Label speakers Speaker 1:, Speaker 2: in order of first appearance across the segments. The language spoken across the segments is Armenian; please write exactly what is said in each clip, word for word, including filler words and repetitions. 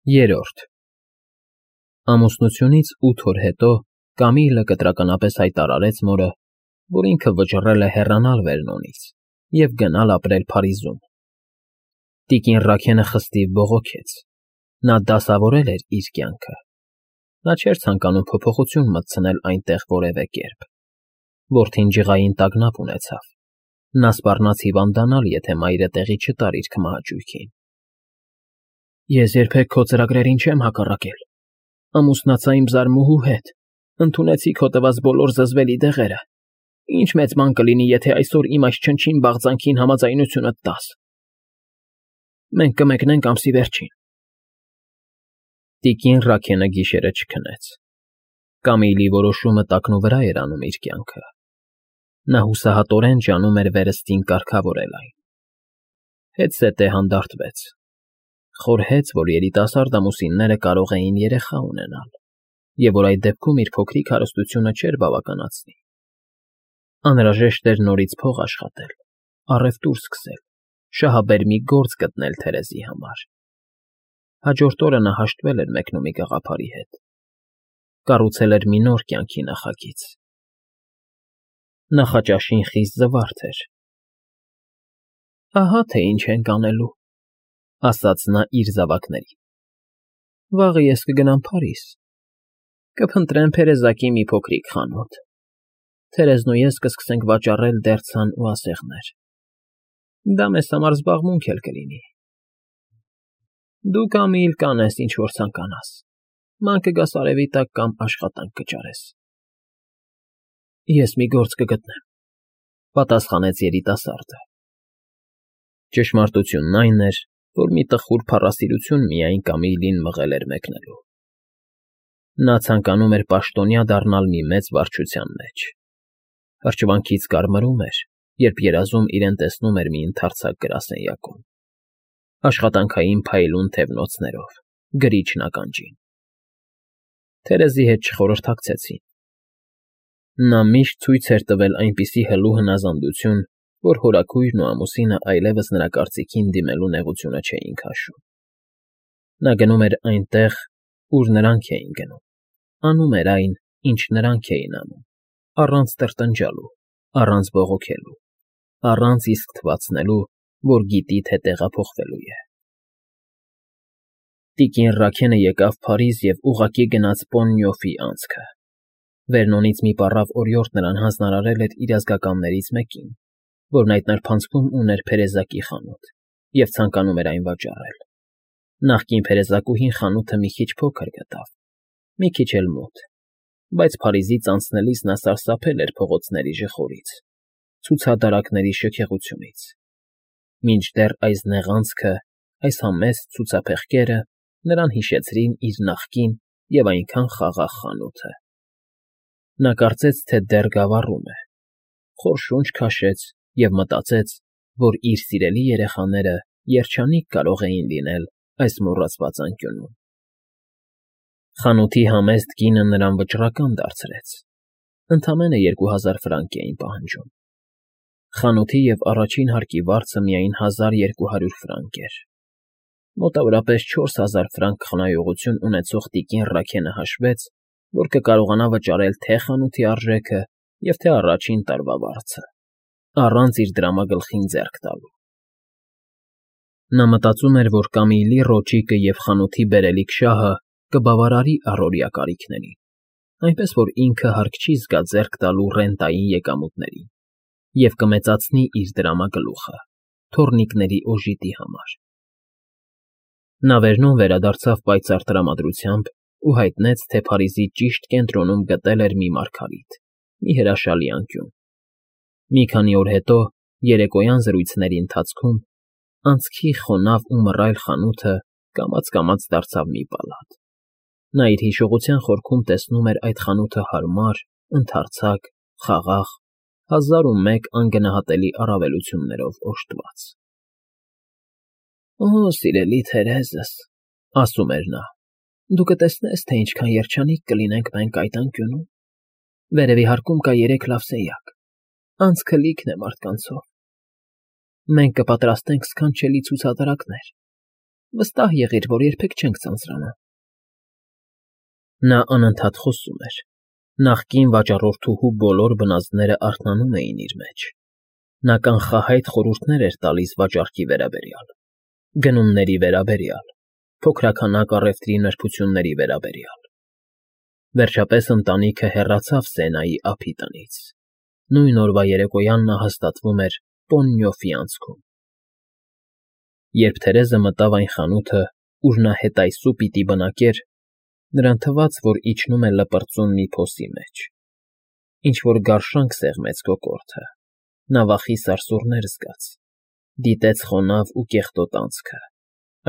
Speaker 1: Երրորդ Ամուսնությունից ութ օր հետո Կամիլը կտրականապես հայտարարեց մորը, որ ինքը վճռել է հեռանալ Վերնոնից և գնալ ապրել Փարիզում։ Տիկին Ռաքենը խստիվ բողոքեց. նա դասավորել էր իր կյանքը, նա չէր ցանկանում փոփոխություն մտցնել այնտեղ որևէ կերպ։ Որդին ջղային տագնապ ունեցավ, նա սպառնաց հիվանդանալ, եթե մայրը տեղի չտար իր քմահաճույքին։ Ես երբեք քո ծրագրերին չեմ հակառակել, ամուսնացա իմ զարմուհու հետ, ընդունեցի քո տված բոլոր զզվելի դեղերը, ինչ մեծ բան կլինի, եթե այսօր իմ այս չնչին բաղձանքին համաձայնությունդ տաս։ Մենք կմեկնենք ամսի վերջին։ Տիկին Ռաքենը գիշերը չքնեց։ Կամիլի որոշումը տակնուվրա էր անում իր կյանքը։ Նա հուսահատորեն ջանում էր վերստին կարգավորել այն։ Հետզհետե հանդարտվեց։ Խորհեց, որ երիտասարդ ամուսինները կարող էին երեխա ունենալ, և որ այդ դեպքում իր փոքրիկ հարստությունը չէր բավականացնի։ Անհրաժեշտ էր նորից փող աշխատել, առևտուր սկսել, շահաբեր մի գործ գտնել Թերեզի համար։ Հաջորդ օրը նա հաշտվել էր մեկնումի գաղափարի հետ։ Կառուցել էր մի նոր կյանքի նախագիծ։ Նախաճաշին խիստ զվարթ էր։ Ահա թե ինչ ենք անելու, ասաց նա իր զավակներին։ Վաղը ես կգնամ Փարիզ, կփնտրեմ փերեզակի մի փոքրիկ խանութ, Թերեզն ու ես կսկսենք վաճառել դերձան ու ասեղներ։ Դա մեզ համար զբաղմունք էլ կլինի։ Դու Կամիլ կանես, ինչ որ ցանկանաս, ման կգաս արևի տակ կամ աշխատանք կճարես։ Ես մի գործ կգտնեմ, պատասխանեց երիտասարդը։ Ճշմարտությունն այն էր, որ մի տխուր փառասիրություն միայն Կամիլին մղել էր մեկնելու։ Նա ցանկանում էր պաշտոնյա դառնալ մի մեծ վարչության մեջ։ Հրճվանքից կարմրում էր, երբ երազում իրեն տեսնում էր մի ընդարձակ գրասենյակում, աշխատանքային փայլուն թևնոցներով, գրիչն ականջին։ Թերեզի հետ չխորհրդակցեցին։ Նա միշտ ցույց էր տվել այնպիսի հլու հնազանդություն, որ հորաքույրն ու ամուսինը այլևս նրա կարծիքին դիմելու նեղությունը չէին քաշում։ Նա գնում էր այնտեղ, ուր նրանք էին գնում, անում էր այն, ինչ նրանք էին անում, առանց տրտնջալու, առանց բողոքելու, առանց իսկ թվացնելու, որ գիտի, թե տեղափոխվելու է։ Տիկին Ռաքենը եկավ Փարիզ և ուղղակի գնաց Պոննյոֆի անցքը։ Վերնոնից մի պառավ օրիորդ նրան հանձնարարել էր իր ազգականներից մեկին, որն այդ նրբանցքում ուներ փերեզակի խանութ և ցանկանում էր այն վաճառել։ Նախկին փերեզակուհին խանութը մի քիչ փոքր գտավ, մի քիչ էլ մոտ, բայց Փարիզից անցնելիս նա սարսափել էր փողոցների ժխորից, ցուցադարակների շքեղությունից։ Մինչդեռ այս նեղանցքը, այս համեստ ցուցափեղկերը նրան հիշեցրին իր նախկին և այնքան խաղաղ խանութը։ Նա կարծեց, թե դեռ գավառում է, խոր շունչ քաշեց և մտածեց, որ իր սիրելի երեխաները երջանիկ կարող էին լինել այս մոռացված անկյունում։ Խանութի համեստ կինը նրան վճռական դարձրեց, ընդամենը երկու հազար ֆրանկ էին պահանջում։ Խանութի և առաջին հարկի վարձը միայն հազար երկու հարյուր ֆրանկ էր։ Մոտավորապես չորս հազար ֆրանկ խնայողություն ունեցող տիկին Ռաքենը հաշվեց, որ կկարողանա վճարել թե՛ խանութի արժեքը և թե՛ առաջին տարվա վարձը, առանց իր դրամագլխին ձեռք տալու։ Նա մտածում էր, որ Կամիլի ռոճիկը և խանութի բերելիք շահը կբավարարի առօրյա կարիքներին, այնպես որ ինքը հարկ չի զգա ձեռք տալու ռենտային եկամուտներին և կմեծացնի իր դրամագլուխը թոռնիկների օժիտի համար։ Նա Վերնոն վերադարձավ պայծառ տրամադրությամբ ու հայտնեց, թե Փարիզի ճիշտ կենտրոնում գտել էր մի մարգարիտ, մի հրաշալի անկյուն։ Մի քանի օր հետո, երեկոյան զրույցների ընթացքում, անցքի խոնավ ու մռայլ խանութը կամաց֊կամաց դարձավ մի պալատ։ Նա իր հիշողության խորքում տեսնում էր այդ խանութը հարմար, ընդարձակ, խաղաղ, հազար ու մեկ անգնահատելի առավելություններով օժտված։ Օ, սիրելի Թերեզս, ասում էր նա, դու կտեսնես, թե ինչքան երջանիկ կլինենք մենք այդ անկյունում։ Վերևի հարկում կա երեք լավ սենյակ, անցքը լիքն է մարդկանցով։ Մենք կպատրաստենք սքանչելի ցուցադրակներ, Վստահ եղիր, որ երբեք չենք ձանձրանա։ Նա անընդհատ խոսում էր։ Նախկին վաճառորդուհու բոլոր բնազդները արթնանում էին իր մեջ։ Նա կանխահայտ խորհուրդներ էր տալիս վաճառքի վերաբերյալ, գնումների վերաբերյալ, փոքրաքանակ առևտրի նրբությունների վերաբերյալ։ Վերջապես ընտանիքը հեռացավ Սենայի ափի տնից։ Նույն օրվա երեկոյան նա հաստատվում էր Պոննյոֆի անցքում։ Երբ Թերեզը մտավ այն խանութը, ուր նա հետայսու պիտի բնակեր, նրան թվաց, որ իջնում է լպրծուն մի փոսի մեջ։ Ինչ֊որ գարշանք սեղմեց կոկորդը, նա վախի սարսուռներ զգաց, դիտեց խոնավ ու կեղտոտ անցքը,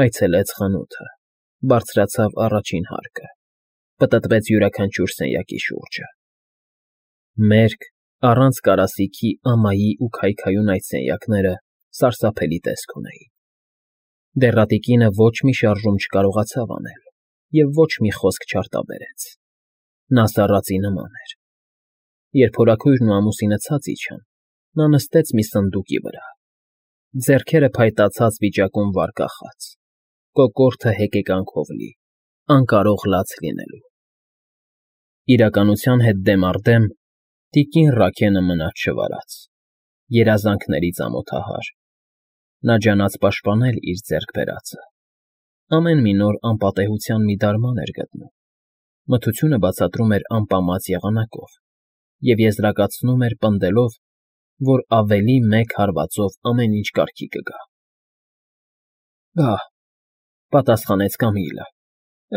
Speaker 1: այցելեց խանութը, բարձրացավ առաջին հարկը, պտտվեց յուրաքանչյուր սենյակի շուրջը։ Մերկ, առանց կարասիքի ամայի ու քայքայուն այդ սենյակները սարսափելի տեսք ունեին։ Դեռատի կինը ոչ մի շարժում չկարողացավ անել և ոչ մի խոսք չարտաբերեց։ Նա սառածի նման էր։ Երբ հորաքույրն ու ամուսինը ցած իջան, նա նստեց մի սնդուկի վրա, ձեռքերը փայտացած վիճակում վար կախած, կոկորդը հեկեկանքով լի, անկարող լաց լինելու։ Իրականության հետ դեմ առ դեմ տիկին Ռաքենը մնաց չվարած, երազանքներից ամոթահար։ Նա ջանաց պաշտպանել իր ձեռք բերածը։ Ամեն մի նոր անպատեհության մի դարման էր գտնում։ Մթությունը բացատրում էր անպամած եղանակով և եզրակացնում էր պնդելով, որ ավելի մեկ հարվածով ամեն ինչ կարգի կգա։ Բա՛, պատասխանեց Կամիլը,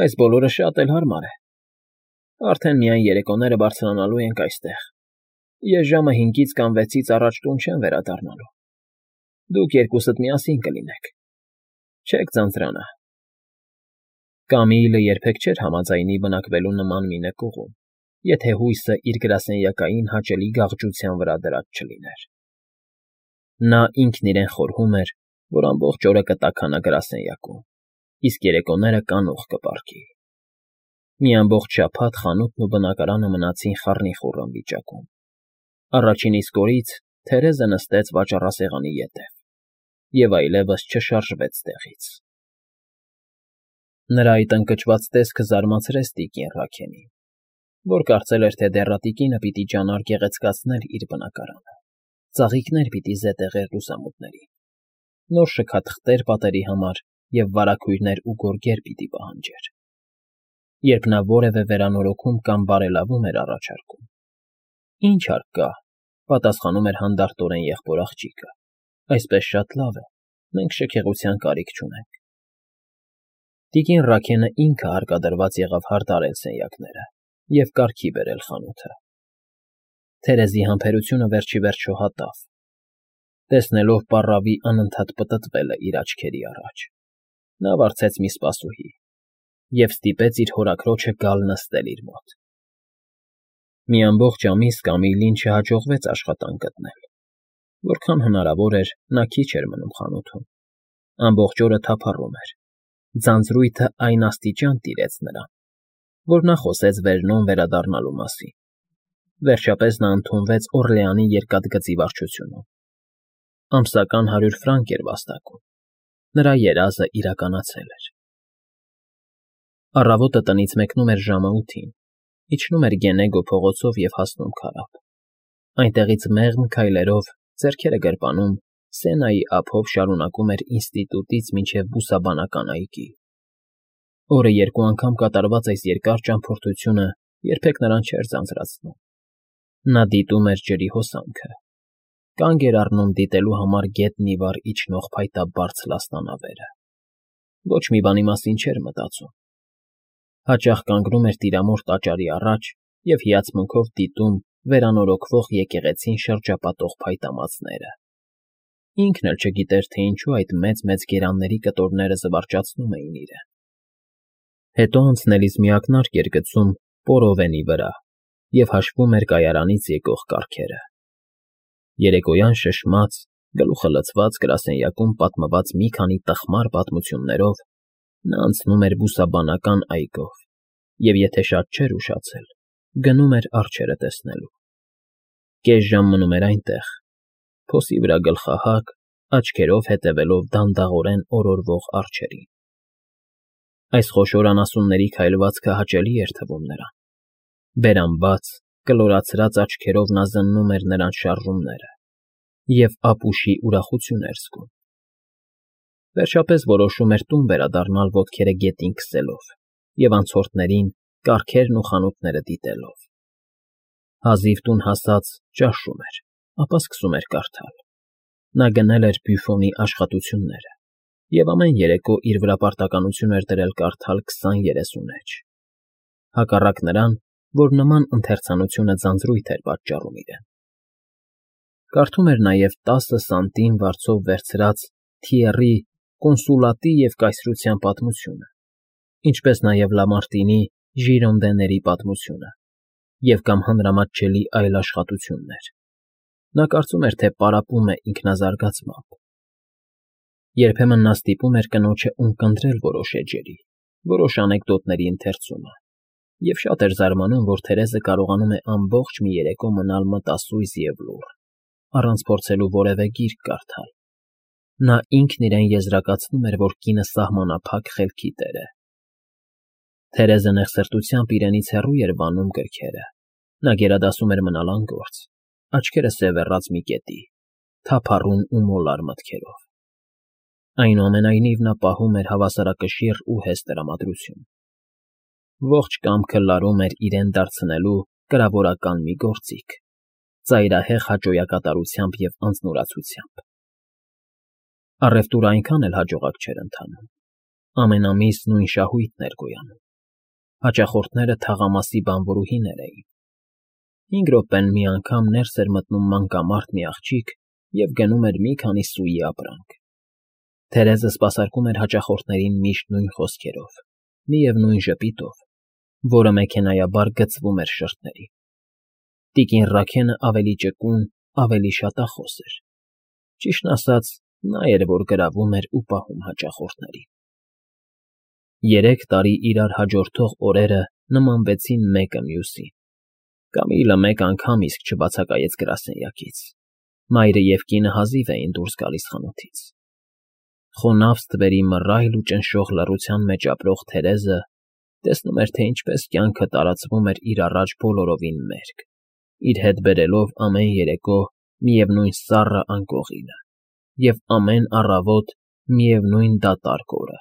Speaker 1: այս բոլորը շատ էլ հարմար է։ Արդեն միայն երեկոները բարձրանալու ենք այստեղ։ Ես ժամը հինգից կամ վեցից առաջ տուն չեմ վերադառնալու։ Դուք երկուսդ միասին կլինեք, չեք ձանձրանա։ Կամիլը երբեք չէր համաձայնի բնակվելու նման մի նկուղում, եթե հույսը իր գրասենյակային հաճելի գաղջության վրա դրած չլիներ։ Նա ինքն իրեն խորհում էր, որ ամբողջ օրը կտաքանա գրասենյակում, իսկ երեկոները կանուխ կպառքի։ Մի ամբողջ շաբաթ խանութն ու բնակարանը մնացին խառնիխուռն վիճակում։ Առաջին իսկ օրից Թերեզը նստեց վաճառասեղանի ետև և այլևս չշարժվեց տեղից։ Նրա այդ ընկճված տեսքը զարմացրեց տիկին Ռաքենին, որ կարծել էր, թե դեռատիկինը պիտի ջանար գեղեցկացնել իր բնակարանը, ծաղիկներ պիտի զետեղեր լուսամուտներին, նոր շքաթղթեր պատերի համար և վարագույրներ ու գորգեր պիտի պահանջեր։ Երբ նա որևէ վերանորոգում կամ բարելավում էր առաջարկում։ Ինչ հարկ կա, պատասխանում էր հանդարտորեն եղբոր աղջիկը, այսպես շատ լավ է, մենք շքեղության կարիք չունենք։ Տիկին Ռաքենը ինքը հարկադրված եղավ հարդարել սենյակները և կարգի բերել խանութը։ Թերեզի համբերությունը վերջիվերջո հատավ, տեսնելով պառավի անընդհատ պտտվելը իր աչքերի առաջ։ Նա վարձեց մի սպասուհի և ստիպեց իր հորաքրոջը գալ նստել իր մոտ։ Մի ամբողջ ամիս Կամիլին չհաջողվեց աշխատանք գտնել։ Որքան հնարավոր էր, նա քիչ էր մնում խանութում։ Ամբողջ օրը թափառում էր։ Ձանձրույթը այն աստիճան տիրեց նրան, որ նա խոսեց վերնոն վերադառնալու մասին։ Վերջապես նա ընդունվեց Օռլեանի երկաթգծի վարչությունում։ Ամսական հարյուր ֆրանկ էր վաստակում։ Նրա երազը իրականացել էր։ Առավոտը տնից մեկնում էր ժամը ութին, իջնում էր Գենեգո փողոցով և հասնում քարափ։ Այնտեղից մեղմ քայլերով, ձեռքերը գրպանում, Սենայի ափով շարունակում էր ինստիտուտից մինչև բուսաբանական այգի։ Օրը երկու անգամ կատարված այս երկար ճամփորդությունը երբեք նրան չէր ձանձրացնում։ Նա դիտում էր ջրի հոսանքը, կանգ էր առնում դիտելու համար գետնի վար իջնող փայտաբարձ լաստանավերը։ Ոչ մի բանի մասին չէր մտածում։ Հաճախ կանգնում էր տիրամոր տաճարի առաջ և հիացմունքով դիտում վերանորոգվող եկեղեցին շրջապատող փայտամածները։ Ինքն էլ չգիտեր, թե ինչու այդ մեծ֊մեծ գերանների կտորները զվարճացնում էին իրեն։ Հետո անցնելիս մի ակնարկ էր գցում Պորովենի վրա և հաշվում էր կայարանից եկող կառքերը։ Երեկոյան շշմած, գլուխը լցված գրասենյակում պատմված մի քանի տխմար պատմություններով նա անցնում էր բուսաբանական այգով և, եթե շատ չէր ուշացել, գնում էր արջերը տեսնելու։ Կես ժամ մնում էր այնտեղ, փոսի վրա գլխահակ, աչքերով հետևելով դանդաղորեն օրորվող արջերին։ Այս խոշոր անասունների քայլվածքը հաճելի էր թվում նրան։ Բերան բաց, կլորացրած աչքերով նա զննում էր նրանց շարժումները և ապուշի ուրախություն էր զգում։ Վերջապես որոշում էր տուն վերադառնալ ոտքերը գետին քսելով և անցորդներին կառքերն ու խանութները դիտելով։ Հազիվ տուն հասած ճաշում էր, ապա սկսում էր կարդալ։ Նա գնել էր Բյուֆոնի աշխատությունները և ամեն երեկո իր վրա պարտականություն էր դրել կարդալ քսան֊երեսուն էջ, հակառակ նրան, որ նման ընթերցանությունը ձանձրույթ էր պատճառում իրեն։ Կարդում էր նաև տասը սանտիմ վարձով վերցրած Թիերի կոնսուլատի և կայսրության պատմությունը, ինչպես նաև Լամարտինի Ժիրոնդեների պատմությունը և կամ հանրամատչելի այլ աշխատություններ։ Նա կարծում էր, թե պարապում է ինքնազարգացմամբ։ Երբեմն նա ստիպում էր կնոջը ունկնդրել որոշ էջերի, որոշ անեկդոտների ընթերցումը, և շատ էր զարմանում, որ Թերեզը կարողանում է ամբողջ մի երեկո մնալ մտասույզ և լուռ, առանց փորձելու որևէ գիրք կարդալ։ Նա ինքն իրեն եզրակացնում էր, որ կինը սահմանափակ խելքի տեր է։ Թերեզը նեղսրտությամբ իրենից հեռու էր վանում գրքերը։ Նա գերադասում էր մնալ անգործ, աչքերը սևեռած մի կետի, թափառուն ու մոլար մտքերով։ Այնուամենայնիվ նա պահում էր հավասարակշիռ ու հեշտ տրամադրություն։ Ողջ կամքը լարում էր իրեն դարձնելու կրավորական մի գործիք, ծայրահեղ հաճոյակատարությամբ և անձնուրացությամբ։ Առևտուրը այնքան էլ հաջողակ չէր ընթանում։ Ամեն ամիս նույն շահույթն էր գոյանում։ Հաճախորդները թաղամասի բանվորուհիներ էին։ Հինգ րոպեն մի անգամ ներս էր մտնում մանկամարդ մի աղջիկ և գնում էր մի քանի սուի ապրանք։ Թերեզը սպասարկում էր հաճախորդներին միշտ նույն խոսքերով, միևնույն ժպիտով, որը մեքենայաբար գցվում էր շրթներին։ Տիկին Ռաքենը ավելի ճկուն, ավելի շատախոս էր։ Ճիշտն ասած, նա էր, որ գրավում էր ու պահում հաճախորդներին։ Երեք տարի իրար հաջորդող օրերը նմանվեցին մեկը մյուսին։ Կամիլը մեկ անգամ իսկ չբացակայեց գրասենյակից։ Մայրը և կինը հազիվ էին դուրս գալիս խանութից։ Խոնավ ստվերի մռայլ ու ճնշող լռության մեջ ապրող Թերեզը տեսնում էր, թե ինչպես կյանքը տարածվում էր իր առաջ բոլորովին մերկ, իր հետ բերելով ամեն երեկո միևնույն սառը անկողինը և ամեն առավոտ միևնույն դատարկ օրը։